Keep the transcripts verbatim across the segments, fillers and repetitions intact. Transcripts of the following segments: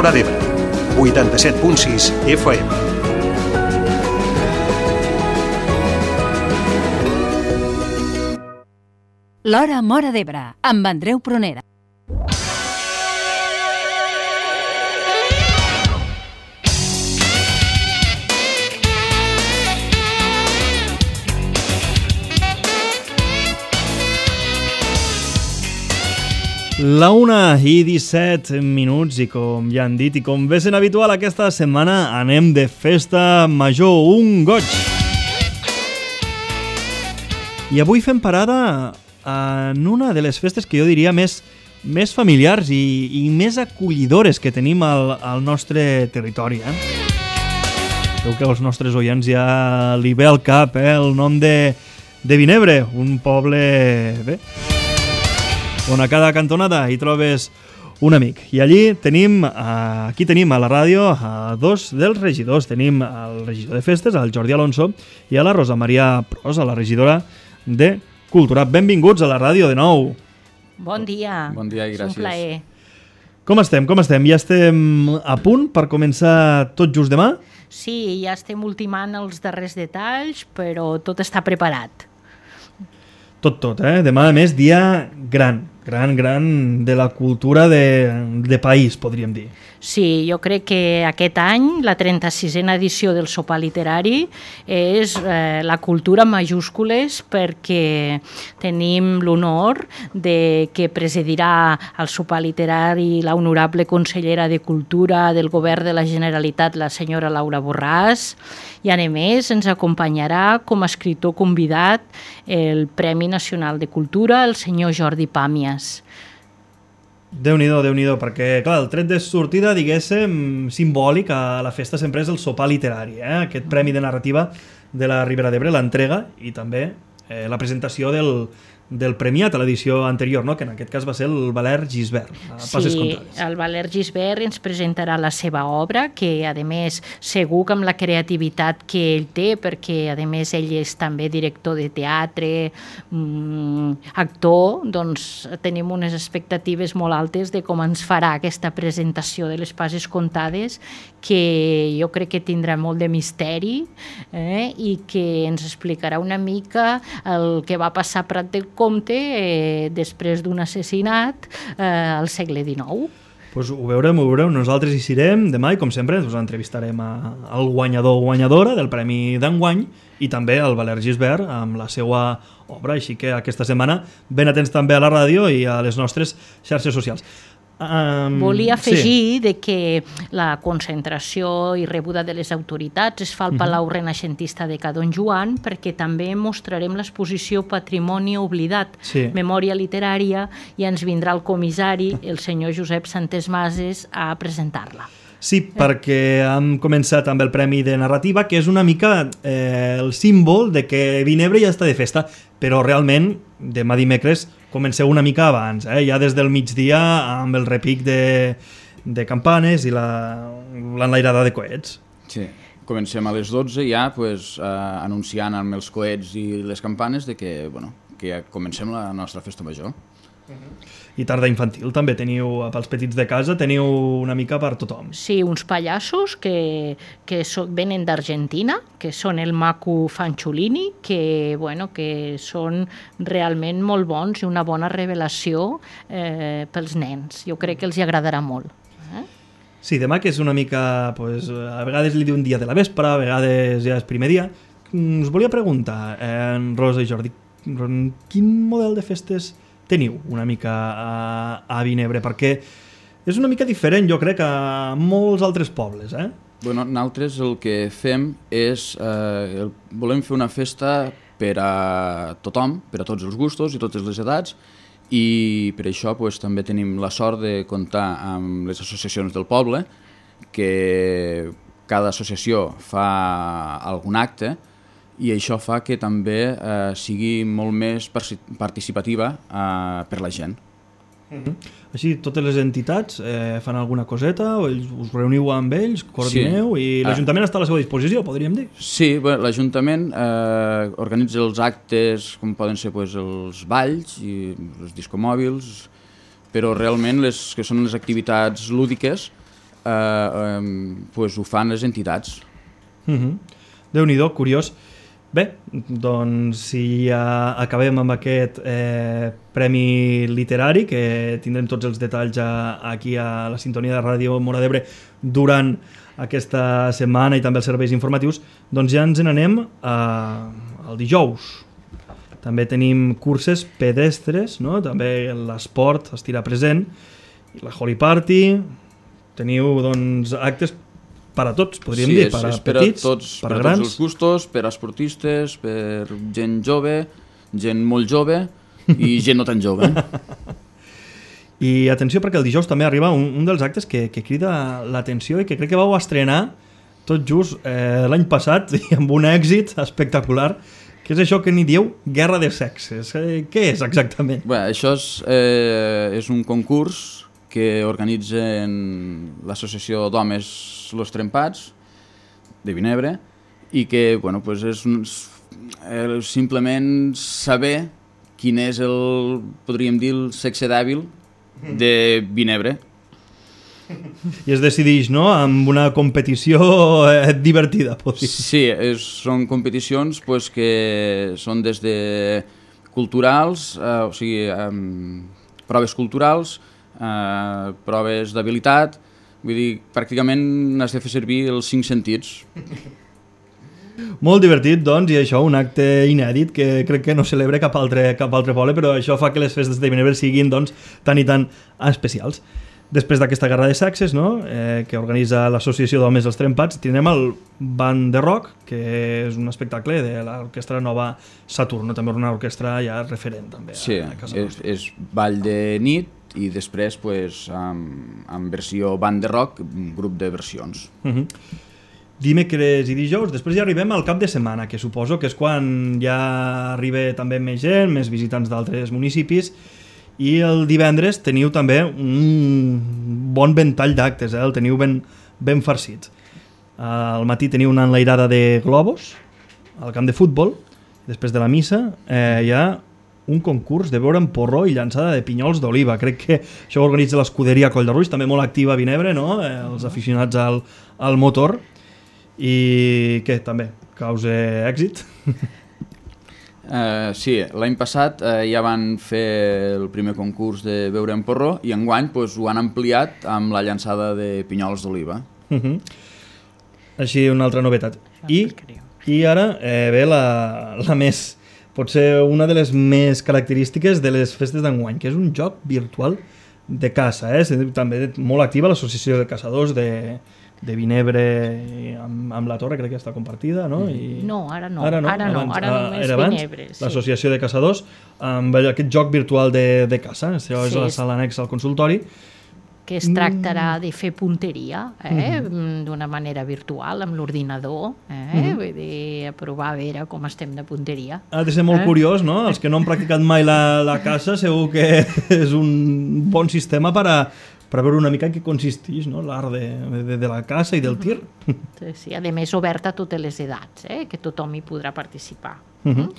Móra d'Ebre, vuitanta-set punt sis F M. L'Hora Móra d'Ebre, amb Andreu Prunera. La una i disset minuts i com ja han dit i com ve sent habitual aquesta setmana anem de festa major, un goig. I avui fem parada en una de les festes que jo diria més, més familiars i, i més acollidores que tenim al, al nostre territori. Eh? Creu que als nostres oients ja li ve al cap eh? el nom de, de Vinebre, un poble... bé, on a cada cantonada hi trobes un amic. I allí tenim, aquí tenim a la ràdio a dos dels regidors. Tenim el regidor de festes, el Jordi Alonso, i a la Rosa Maria Prosa, la regidora de Cultura. Benvinguts a la ràdio de nou. Bon dia. Bon dia i gràcies. És un plaer. Com estem? Com estem? Ja estem a punt per començar tot just demà? Sí, ja estem ultimant els darrers detalls, però tot està preparat. Tot, tot, eh? Demà, a més, dia gran, gran, gran de la cultura de, de país, podríem dir. Sí, jo crec que aquest any, la trenta-sisena edició del sopar literari, és eh, la cultura en majúscules perquè tenim l'honor de que presidirà el sopar literari la honorable consellera de Cultura del Govern de la Generalitat, la senyora Laura Borràs, i a més ens acompanyarà com a escriptor convidat el Premi Nacional de Cultura, el senyor Jordi Pàmies. Déu-n'hi-do, Déu-n'hi-do, perquè, clar, el tret de sortida, diguéssim, simbòlic a la festa sempre és el sopar literari, eh? Aquest premi de narrativa de la Ribera d'Ebre, l'entrega i també eh, la presentació del, del premiat a l'edició anterior, no? Que en aquest cas va ser el Valère Gisbert. Sí, el Valère Gisbert ens presentarà la seva obra, que a més segur que amb la creativitat que ell té, perquè a més ell és també director de teatre, mmm, actor, doncs tenim unes expectatives molt altes de com ens farà aquesta presentació de les Passes Contades, que jo crec que tindrà molt de misteri eh? I que ens explicarà una mica el que va passar a Prat del Comte eh, després d'un assassinat eh, al segle dinou. Pues ho veurem, ho veurem. Nosaltres hi serem demà i, com sempre, us entrevistarem a, al guanyador o guanyadora del Premi d'enguany i també al Valère Gisbert amb la seva obra. Així que aquesta setmana ben atents també a la ràdio i a les nostres xarxes socials. Um, Volia afegir sí. de que la concentració i rebuda de les autoritats es fa al Palau uh-huh. Renaixentista de Ca Don Joan, perquè també mostrarem l'exposició Patrimoni Oblidat, sí. Memòria Literària, i ens vindrà el comissari, el senyor Josep Santes Mases, a presentar-la. Sí, perquè hem començat amb el Premi de Narrativa, que és una mica eh, el símbol de que Vinebre ja està de festa, però realment demà dimecres comenceu una mica abans, eh? Ja des del migdia amb el repic de, de campanes i l'enlairada de coets. Sí, comencem a les dotze ja pues, eh, anunciant amb els coets i les campanes de que, bueno, que ja comencem la nostra festa major. Uh-huh. I tarda infantil també teniu, pels petits de casa teniu una mica per tothom. Sí, uns pallassos que, que so, venen d'Argentina, que són el Macu Fanciullini, que, bueno, que són realment molt bons i una bona revelació eh, pels nens. Jo crec que els hi agradarà molt. Eh? Sí, demà que és una mica, pues, a vegades li diu un dia de la vespre, a vegades ja és primer dia. Us volia preguntar, eh, Rosa i Jordi, quin model de festes teniu una mica a, a Vinebre? Perquè és una mica diferent, jo crec, a molts altres pobles, eh? Bueno, nosaltres el que fem és... Eh, el, volem fer una festa per a tothom, per a tots els gustos i totes les edats, i per això pues, també tenim la sort de comptar amb les associacions del poble, que cada associació fa algun acte, i això fa que també eh, sigui molt més participativa eh, per la gent. Uh-huh. Així, totes les entitats eh, fan alguna coseta, o ells, us reuniu amb ells, coordineu, sí. I l'Ajuntament ah. està a la seva disposició, podríem dir? Sí, bueno, l'Ajuntament eh, organitza els actes, com poden ser pues, els balls i els discomòbils, però realment les que són les activitats lúdiques eh, eh, pues ho fan les entitats. Mm-hmm. Déu-n'hi-do, curiós. Bé, doncs si ja acabem amb aquest eh, premi literari, que tindrem tots els detalls a, aquí a la sintonia de Ràdio Móra d'Ebre durant aquesta setmana i també els serveis informatius, doncs ja ens n'anem al dijous. També tenim curses pedestres, no? També l'esport estirà present, la Holy Party, teniu doncs, actes per a tots, podríem sí, dir, és, per a és per petits, a tots, per a per a grans. tots els gustos, per a esportistes, per gent jove, gent molt jove i gent no tan jove. I atenció, perquè el dijous també arriba un, un dels actes que, que crida l'atenció i que crec que vau estrenar tot just eh, l'any passat i amb un èxit espectacular, que és això que n'hi dieu Guerra de Sexes. Eh, què és exactament? Bé, això és, eh, és un concurs que organitzen l'Associació d'Homes Los Trempats de Vinebre i que bueno, pues és un, eh, simplement saber quin és el, podríem dir, el sexe dèbil de Vinebre. I es decideix, no?, amb una competició eh, divertida, pot dir. Sí, és, són competicions pues, que són des de culturals, eh, o sigui, eh, proves culturals, eh, proves d'habilitat, vull dir, pràcticament has de fer servir els cinc sentits. Molt divertit, doncs, i això, un acte inèdit que crec que no celebra cap altre, cap altre poble, però això fa que les festes de Vinebre siguin, doncs, tan i tan especials. Després d'aquesta Guerra de Sexes, no?, eh, que organitza l'Associació d'Homes dels Trempats, tindrem el Band de Rock, que és un espectacle de l'Orquestra Nova Saturno, també una orquestra ja referent també a, sí, a casa és, nostra. és ball de nit i després pues, amb, amb versió band de rock, un grup de versions. Uh-huh. Dimecres i dijous, després ja arribem al cap de setmana, que suposo que és quan ja arriba també més gent, més visitants d'altres municipis, i el divendres teniu també un bon ventall d'actes, eh? El teniu ben, ben farcit. Al matí teniu una enlairada de globus al camp de futbol, després de la missa eh, hi ha un concurs de beure en porró i llançada de pinyols d'oliva. Crec que això ho organitza l'escuderia Coll de Ruix, també molt activa a Vinebre, no? Eh, els aficionats al, al motor, i que també causa èxit. Uh, sí, l'any passat uh, ja van fer el primer concurs de beure en porró i enguany pues, ho han ampliat amb la llançada de pinyols d'oliva. Uh-huh. Així una altra novetat. I, i ara eh, ve la, la més, potser una de les més característiques de les festes d'enguany, que és un joc virtual de caça. Eh? També molt activa l'Associació de Caçadors de, de Vinebre amb, amb la Torre, crec que està compartida, no? I... No, ara no, ara no, ara, no, abans, ara només era abans, Vinebre. Sí. L'Associació de Caçadors amb aquest joc virtual de, de caça, això és Sí, la és- sala anexa al consultori. Que es tractarà de fer punteria eh? mm. d'una manera virtual amb l'ordinador, eh? Mm-hmm. Vull dir, a provar a veure com estem de punteria. Ha de ser molt Eh? curiós, no? Els que no han practicat mai la, la caça segur que és un bon sistema per a, per a veure una mica en què consisteix, no? L'art de, de, de la caça i del tir. Sí, sí. A més, oberta a totes les edats, eh? Que tothom hi podrà participar. Uh-huh.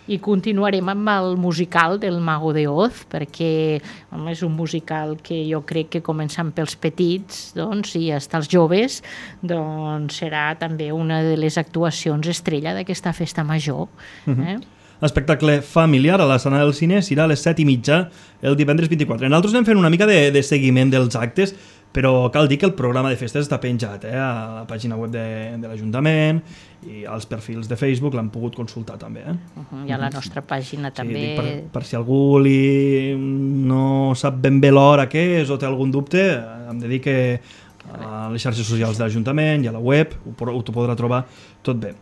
I continuarem amb el musical del Mago de Oz, perquè home, és un musical que jo crec que començant pels petits doncs, i fins als joves doncs, serà també una de les actuacions estrella d'aquesta festa major. Eh? Espectacle familiar a la sala del cine serà a les set i mitja el divendres vint-i-quatre. Nosaltres anem fent una mica de, de seguiment dels actes, però cal dir que el programa de festes està penjat eh, a la pàgina web de, de l'Ajuntament i als perfils de Facebook l'han pogut consultar també. Eh? Uh-huh. I a la nostra pàgina també... Sí, dic, per, per si algú li no sap ben bé l'hora que és o té algun dubte, hem de dir que a les xarxes socials de l'Ajuntament i a la web ho, ho podrà trobar tot bé.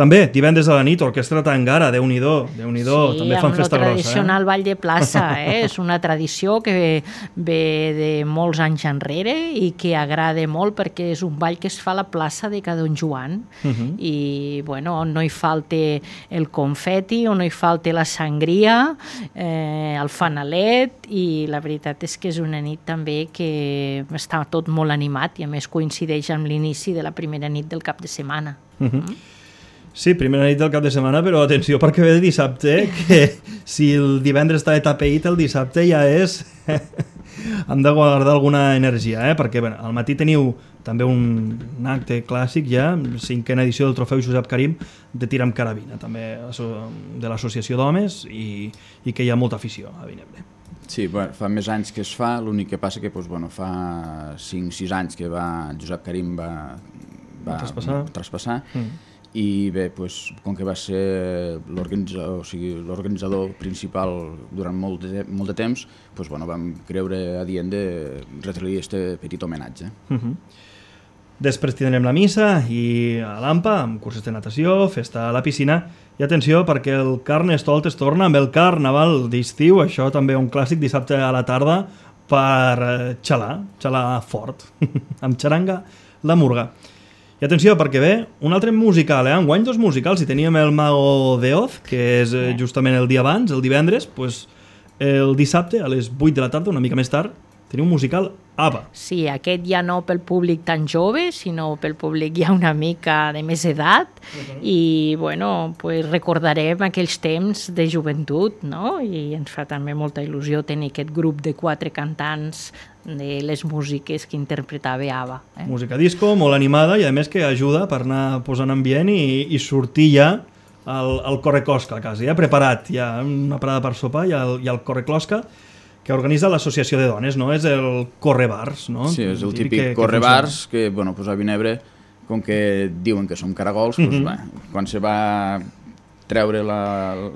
També, divendres a la nit, Orquestra Tangara, Déu-n'hi-do, Déu-n'hi-do, sí, també fan festa amb el grossa. tradicional ball de plaça, eh? És una tradició que ve, ve de molts anys enrere i que agrada molt perquè és un ball que es fa a la plaça de Ca Don Joan Uh-huh. i bueno, on no hi falte el confeti, on no hi falte la sangria, eh, el fanalet, i la veritat és que és una nit també que està tot molt animat i a més coincideix amb l'inici de la primera nit del cap de setmana. Uh-huh. Sí, primera nit del cap de setmana, però atenció perquè ve de dissabte, que si el divendres està de tapeït, el dissabte ja és hem de guardar alguna energia, eh? Perquè bé, al matí teniu també un, un acte clàssic ja, cinquena edició del trofeu Josep Karim de tir amb carabina, també de l'associació d'homes i, i que hi ha molta afició a Vinebre. Sí, bueno, fa més anys que es fa, l'únic que passa que doncs, bueno, fa cinc sis anys que va, Josep Karim va, va, va traspassar, traspassar mm. i bé, doncs, com que va ser l'organitzador, o sigui, l'organitzador principal durant molt de, molt de temps, doncs, bueno, vam creure adient de retre-li este petit homenatge. Mm-hmm. Després tindrem la missa i a l'Ampa, amb cursos de natació, festa a la piscina, i atenció perquè el Carnestoltes torna amb el Carnaval d'estiu, això també un clàssic dissabte a la tarda per xalar, xalar fort, amb xaranga la murga. I atenció perquè ve un altre musical, eh? Enguany dos musicals, si teníem el Mago de Oz, que és justament el dia abans, el divendres, doncs el dissabte a les vuit de la tarda, una mica més tard, tenim un musical ABBA. Sí, aquest ja no pel públic tan jove, sinó pel públic ja una mica de més edat, uh-huh. i bueno, pues recordarem aquells temps de joventut, no? I ens fa també molta il·lusió tenir aquest grup de quatre cantants de les músiques que interpretava ABBA. Eh? Música disco, molt animada, i a més que ajuda per anar posant ambient i, i sortir ja al, al correclosca, quasi, ja preparat, ja una parada per sopar i el, i el correclosca, que organitza l'associació de dones, no? És el correbars, no? Sí, és el típic correbars que, bueno, pues a Vinebre, com que diuen que som caragols, pues, mm-hmm. va, quan se va treure la,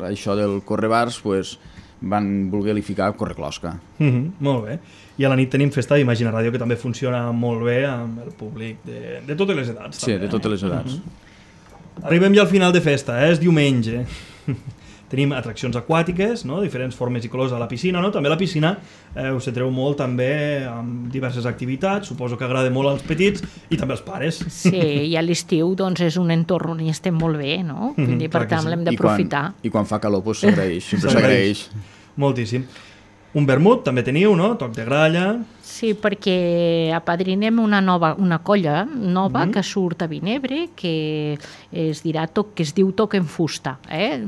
això del correbars, pues, van voler-li ficar correclosca. Mm-hmm, molt bé. I a la nit tenim festa d'Imagina Ràdio, que també funciona molt bé amb el públic de, de totes les edats. Sí, també, de totes les edats. Mm-hmm. Arribem ja al final de festa, eh? És diumenge. Tenim atraccions aquàtiques, no? Diferents formes i colors a la piscina, no? També la piscina eh, us centreu molt també amb diverses activitats, suposo que agrada molt als petits i també als pares. Sí, i a l'estiu doncs, és un entorn on hi estem molt bé, no? Mm, I per tant sí. L'hem d'aprofitar. I, I quan fa calor doncs, s'agraeix, sempre s'agraeix. Moltíssim. Un vermut també teniu, no? Toc de gralla. Sí, perquè apadrinem una nova una colla nova mm-hmm. que surt a Vinebre, que es dirà toc, que es diu Toc en Fusta. Eh?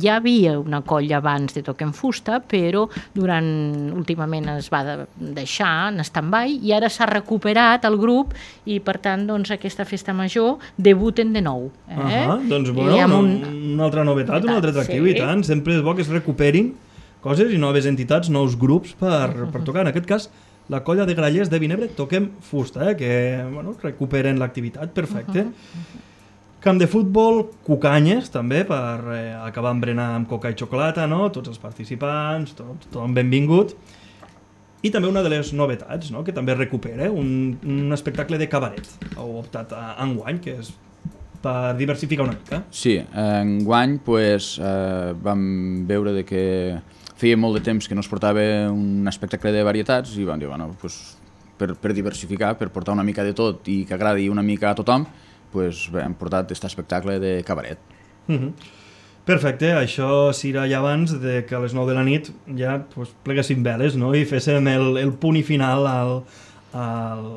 Ja havia una colla abans de Toc en Fusta, però durant últimament es va deixar en stand-by i ara s'ha recuperat el grup i per tant doncs, aquesta festa major debuten de nou. Eh? Uh-huh. Doncs bueno, una, un... una altra novetat, un altre atractiu sí. I tant. Sempre és bo que es recuperin coses i noves entitats, nous grups per, per tocar. En aquest cas, la colla de grallers de Vinebre Toquem Fusta, eh, que bueno, recuperen l'activitat, perfecte. Uh-huh. Camp de futbol, cucanyes, també, per eh, acabar amb berenar amb coca i xocolata, no? Tots els participants, tot, tothom benvingut. I també una de les novetats, no? Que també recupera, un, un espectacle de cabaret. Heu optat a enguany, que és per diversificar una mica. Sí, enguany pues, eh, vam veure de que feia molt de temps que no es portava un espectacle de varietats i vam dir, bueno, pues, per, per diversificar, per portar una mica de tot i que agradi una mica a tothom, pues, bé, hem portat aquest espectacle de cabaret. Mm-hmm. Perfecte, això serà ja abans de que a les nou de la nit ja pues, pleguéssim veles, no? I féssim el, el punt i final al, al,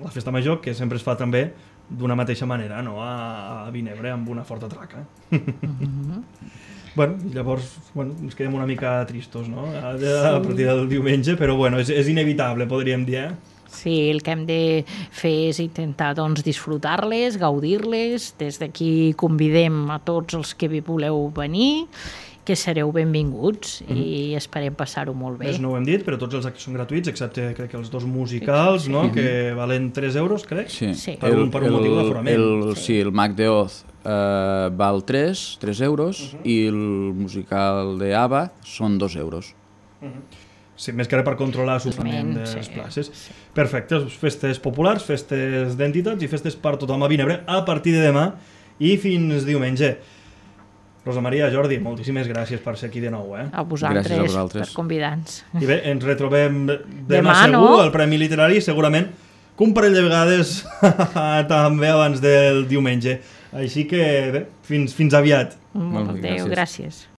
a la festa major, que sempre es fa també d'una mateixa manera, no? a, a Vinebre, amb una forta traca. Mm-hmm. Bueno, llavors bueno, ens quedem una mica tristos, no? A, a partir del diumenge, però bueno, és, és inevitable, podríem dir, eh? Sí, el que hem de fer és intentar doncs, disfrutar-les, gaudir-les. Des d'aquí convidem a tots els que voleu venir, que sereu benvinguts mm-hmm. i esperem passar-ho molt bé. Més no ho hem dit, però tots els actes són gratuïts, excepte crec que els dos musicals, sí. No? Mm-hmm. Que valen tres euros, crec, sí. Sí. Per, un, per un el, motiu d'aforament. El, sí. sí, el Mag de Oz eh, val tres euros uh-huh. i el musical de ABBA són dos euros. Uh-huh. Sí, més que ara per controlar l'assoframent de les places. Sí. Perfecte, festes populars, festes d'entitats i festes per tothom a Vinebre a partir de demà i fins diumenge. Rosa Maria, Jordi, moltíssimes gràcies per ser aquí de nou. Eh? A vosaltres, a vosaltres. Per convidar-nos. I bé, ens retrobem demà, demà segur, no? Al Premi Literari, segurament que un parell de vegades també abans del diumenge. Així que bé, fins, fins aviat. Molt bé, gràcies. gràcies.